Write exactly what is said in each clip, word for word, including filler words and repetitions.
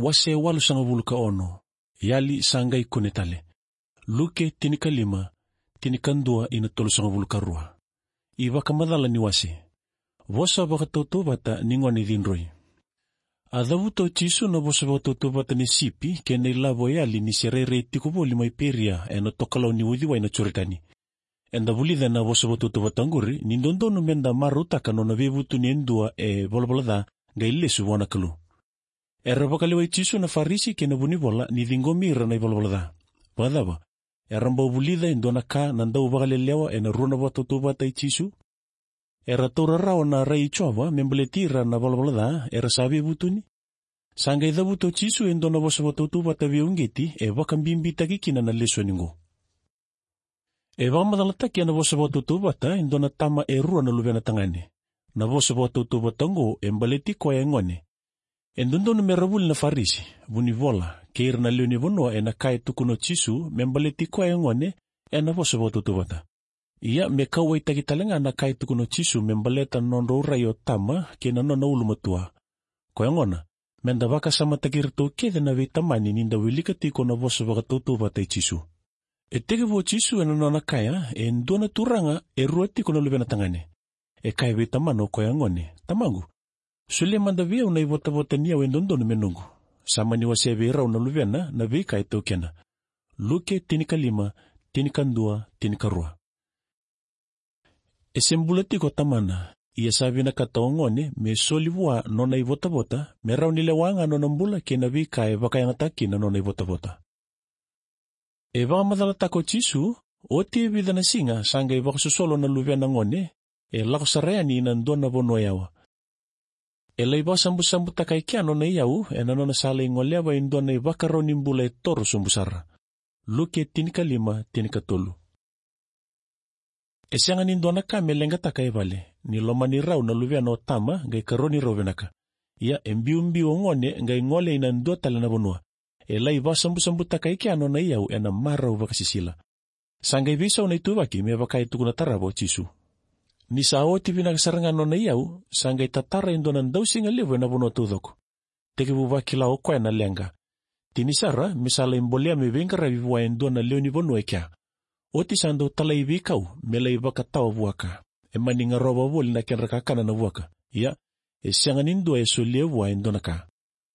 Wase walusagavulu ka ono. Yali sa qai kune tale. Luke tinikalima, tinikadua ina tolusagavulu ka rua. iVakamacala ni wase. Vosa vakatautauvata ni gone cidroi. A cavuta o Jisu na vosa vakatautauvata ni sipi kei na ilavo e yali ni se rairai tiko voli mai Peria ena tokalau ni uciwai na Joritani. Eda vulica na vosa vakatautauvata oqori ni dodonu meda marautaka nona veivutuni e dua e valavala ca qai lesu vua na Kalou. Era vakalewai Jisu na Farisi kei na vunivola ni ciqomi ira na ivalavala ca. Vakacava? Era bau vulica e dua na ka na dau vakalelewa ena rua na vakatautauvata i Jisu? Era taura rawa na rai i Jiova me baleti ira na valavala ca era sa veivutuni? Sa qai cavuta o Jisu e dua na vosa vakatautauvata veiuqeti e vakabibitaki kina na lesoni qo. E vakamacalataki ena vosa vakatautauvata e dua na tama e rua na luvena tagane. Na vosa vakatautauvata oqo e baleti koya e gone. E dodonu me ra vuli na Farisi, vunivola, kei ira na lewe ni vanua ena ka e tukuna o Jisu me baleti koya e gone ena vosa vakatautauvata. Ia me kauwaitaki tale ga na ka e tukuna o Jisu me baleta na nodrau rai o tama kei na nona ulumatua. Koya gona, meda vakasamataki iratou kece na veitamani ni da wilika tiko na vosa vakatautauvata i Jisu. E tekivu o Jisu ena nona kaya e dua na turaga e rua tiko na luvena tagane. E kaya vei tamana o koya gone, tamaqu, solia mada vei au na ivotavota ni yau e dodonu me noqu. Sa mani wasea vei rau na luvena na veika e taukena. Luke tinikalima, tinikadua, tinikarua. E se bula tiko o tamana, ia sa vinakata o gone me soli vua nona ivotavota me rawa ni lewa ga nona bula kei na veika e vakayagataki na nona ivotavota. E vakamacalataka o Jisu, oti e vica na siga sa qai vakasosolo na luvena gone, e lako sara yani ina dua na vanua yawa. E lai vakasabusabutaka e kea nona iyau ena nona sa lai goleva e dua na ivakarau ni bula e toro sobu sara. Luke tinikalima, tinikatolu. E sega ni dua na ka me leqataka e vale ni lomani rau na luvena o tama qai karoni rau vinaka. Ia e biubiu o gone qai gole ina dua tale na vanua. E lai vakasabusabutaka e kea nona iyau ena marau vakasisila. Sa qai veisau na ituvaki me vaka e tukuna tarava o Jisu. Ni sa oti vinaka sara ga nona iyau, sa qai tatara e dua na dausiga levu ena vanua taucoko. Tekivu vakila o koya na leqa. Tini sara me sa lai bolea me veiqaravi vua e dua na lewe ni vanua e kea. Oti sa dau talai veikau me lai vakatawa vua ka. E mani garova voli na kedra kakana na vuaka. Ia, e sega ni dua e solia vua e dua na ka.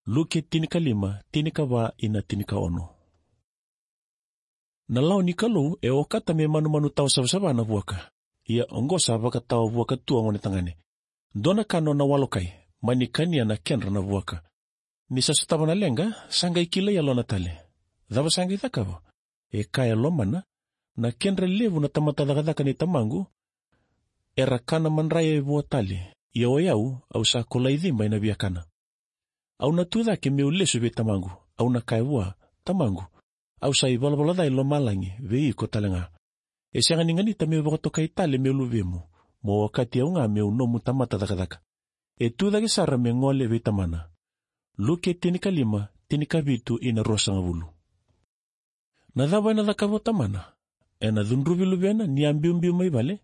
Luke tinikalima, tinikava ina tinikaono. Na lawa ni Kalou e okata me manumanu tawa savasava na vuaka. Ia oqo sa vakatawa vuaka tu o gone tagane. Dua na ka nona walokai, mani kania na kedra na vuaka. Ni sa sotava na leqa, sa qai kilai yalona tale. Cava sa qai cakava? E kaya e lomana, na kedra levu na tamata cakacaka ni tamaqu, era kana madraya e vua tale, ia o yau, au sa kolai ciba ena via kana. Au na tu cake meu lesu vei tamaqu, au na kaya vua, tamaqu, au sa ivalavala ca e lomalagi vei iko tale ga. E sega ni ganita meu vakatokai tale meu luvemu, mo okati au ga meu nomu tamata cakacaka. E tu cake sara me gole vei tamana. Luke tinikalima, tinikavitu ina ruasagavulu. Na cava ena cakava o tamana? Ena cudruvi luvena ni a biubiu mai vale?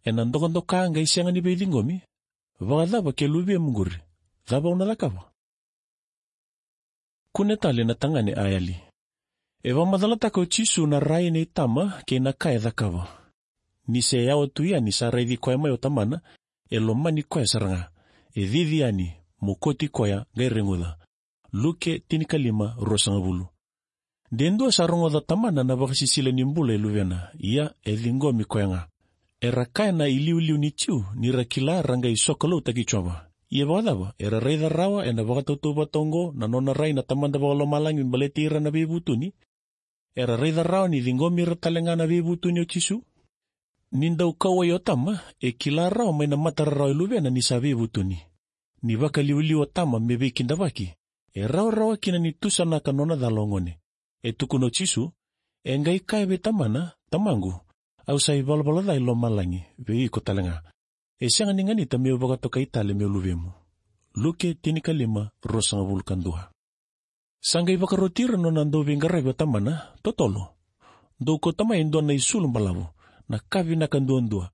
Ena dokadoka qai sega ni veiciqomi? Vakacava ke luvemu qori? Cava au na cakava? Kune tale na tagane a yali. E vakamacalataka o Jisu na rai nei tama kei na ka e cakava. Ni se yawa tu yani sa raici koya mai o tamana, e lomani koya sara ga. E cici yani, mokoti koya, qai reguca. Luke tinikalima, ruasagavulu. De dua sa rogoca tamana na vakasisila ni bula e luvena, ia e ciqomi koya ga. Era kaya na iliuliu ni Jiu ni ra kila ra qai sokaloutaki Jiova. Ia vakacava, era raica rawa ena vakatautauvata oqo na nona rai na Tamada Vakalomalagi me baleti ira na veivutuni? Era raica rawa ni ciqomi ira tale ga na veivutuni o Jisu? Ni dau kauwai o tama, e kila rawa mai na mata rarawa e luvena ni sa veivutuni. Ni vakaliuliu o tama me veikidavaki, e rawarawa kina ni tusanaka nona cala o gone. E tukuna o Jisu, e qai kaya vei tamana, tamaqu, au sa ivalavala ca e lomalagi vei iko tale ga. E sega ni ganita meu vakatokai tale meu luvemu. Luke tinikalima, ruasagavulu ka dua. Sa qai vakaroti ira nona dauveiqaravi o tamana, totolo. Dou kauta mai e dua na isulu balavu, na ka vinaka duadua.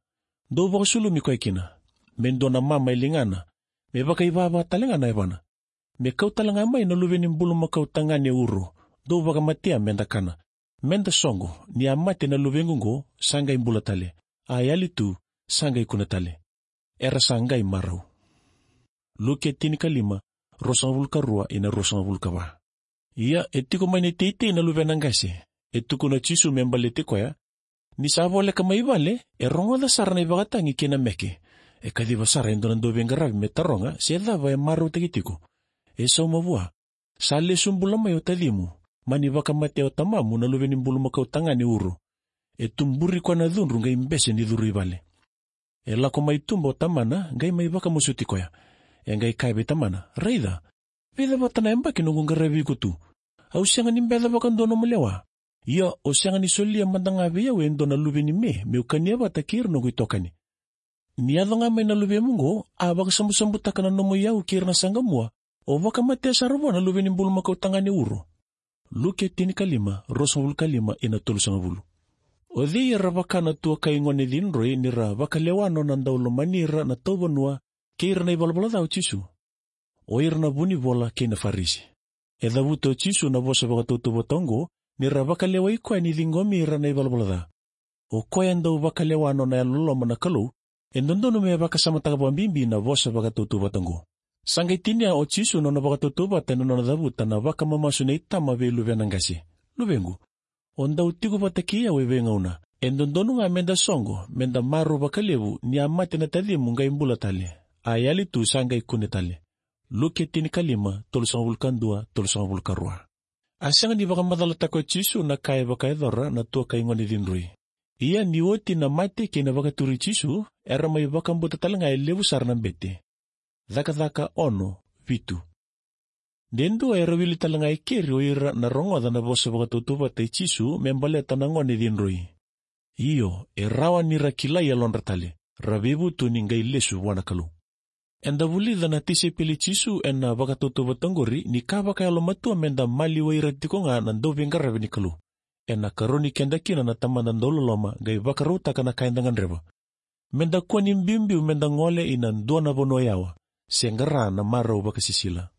Dou vakasulumi koya kina, me dua na mama e ligana, me vakaivava tale ga na yavana. Me kau tale ga mai na luve ni bulumakau tagane uro, dou vakamatea meda kana. Meda soqo, ni a mate na luvequ oqo, sa qai bula tale. A yali tu, sa qai kune tale. Era sa qai marau. Luke tinikalima, ruasagavulu ka rua ina ruasagavulu ka va. Ia, e tiko mai na iteitei na luvena qase, e tukuna o Jisu me baleti koya. Ni sa voleka mai vale, e rogoca sara na ivakatagi kei na meke. E kaciva sara e dua na dauveiqaravi me taroga se cava e marautaki tiko. E sauma vua. Sa lesu bula mai o tacimu, mani vakamatea o tamamu na luve ni bulumakau tagane uro. E tuburi koya na cudru qai bese ni curu i vale. E lako mai tuba o tamana, qai mai vakamasuti koya. E qai kaya vei tamana, raica, vica vata na yabaki noqu qaravi iko tu. Au sega ni beca vakadua nomu lewa. Ia, o sega ni solia mada ga vei au e dua na luve ni me, meu kania vata kei ira noqu itokani. Ni yaco ga mai na luvemu oqo, a vakasabusabutaka na nomu iyau kei ira na saqamua, o vakamatea sara vua na luve ni bulumakau tagane uro. Luke tinikalima, ruasagavulu ka lima ina tolusagavulu. O cei era vaka na tuakai gone cidroi ni ra vakalewa nona dau lomani ira na tauvanua, kei ira na ivalavala ca o Jisu? O ira na vunivola kei na Farisi. E cavuta o Jisu na vosa vakatautauvata oqo, ni ra vakalewai koya ni ciqomi ira na ivalavala ca. O koya e dau vakalewa nona yalololoma na Kalou, e dodonu me vakasamataka vakabibi na vosa vakatautauvata oqo. Sa qai tinia o Jisu nona vakatautauvata ena nona cavuta na vakamamasu nei tama vei luvena qase. Luvequ, o dau tiko vata kei au e veigauna. E dodonu ga meda soqo, meda marau vakalevu, ni a mate na tacimu qai bula tale. A yali tu sa qai kune tale. Luke tinikalima, tolusagavulu ka dua, tolusagavulu ka rua. A sega ni vakamacalataka o Jisu na ka e vakayacora na tuakai gone cidroi. Ia ni oti na mate kei na vakaturi Jisu, era mai vakabauta tale ga e levu sara na bete. Cakacaka ono, vitu. De dua era wili tale ga e keri o ira na rogoca na vosa vakatautauvata i Jisu me baleta na gone cidroi. Io, e rawa ni ra kilai yalodra tale, ra veivutuni qai lesu vua na Kalou. Eda vulica na tisaipeli Jisu ena vakatautauvata oqori ni ka vakayalomatua meda maliwai ira tiko ga na dauveiqaravi ni Kalou. Ena karoni keda kina na Tamada dauloloma qai vakarautaka na ka eda gadreva. Meda kua ni biubiu meda gole ina dua na vanua yawa, se qara na marau vakasisila.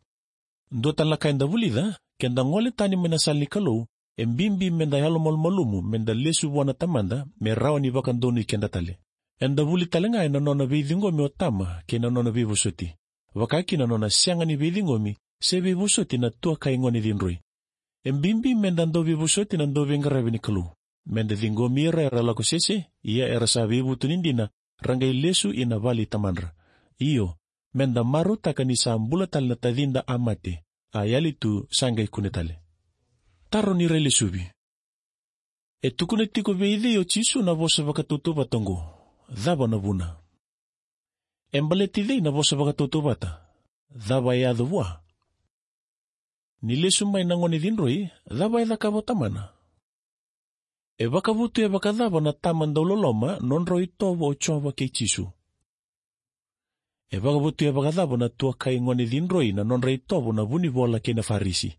Dua tale na ka eda vulica, keda gole tani mai na sala ni Kalou, e bibi meda yalomalumalumu, meda lesu vua na Tamada, me rawa ni vakadonui keda tale. Eda vuli tale ga ena nona veiciqomi o tama, kei na nona veivosoti. Vakakina nona sega ni veiciqomi, se veivosoti na tuakai gone cidroi. E bibi meda dau veivosoti na dauveiqaravi ni Kalou. Meda ciqomi ira era lako sese, ia era sa veivutuni dina, ra qai lesu ina vale i Tamadra. Io, meda marautaka ni sa bula tale na tacida a mate, a yali tu sa qai kune tale. Taro ni railesuvi. E tukuna tiko vei cei o Jisu na vosa vakatautauvata oqo? Cava na vuna? E baleti cei na vosa vakatautauvata? Cava e yaco vua? Ni lesu mai na gone cidroi, cava e cakava o tamana? E vakavotuya vakacava na tama dauloloma nodrau itovo o Jiova kei Jisu? E vakavotuya vakacava na tuakai gone cidroi na nodra itovo na vunivola kei na Farisi?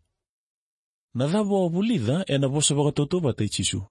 Na cava o vulica ena vosa vakatautauvata i Jisu?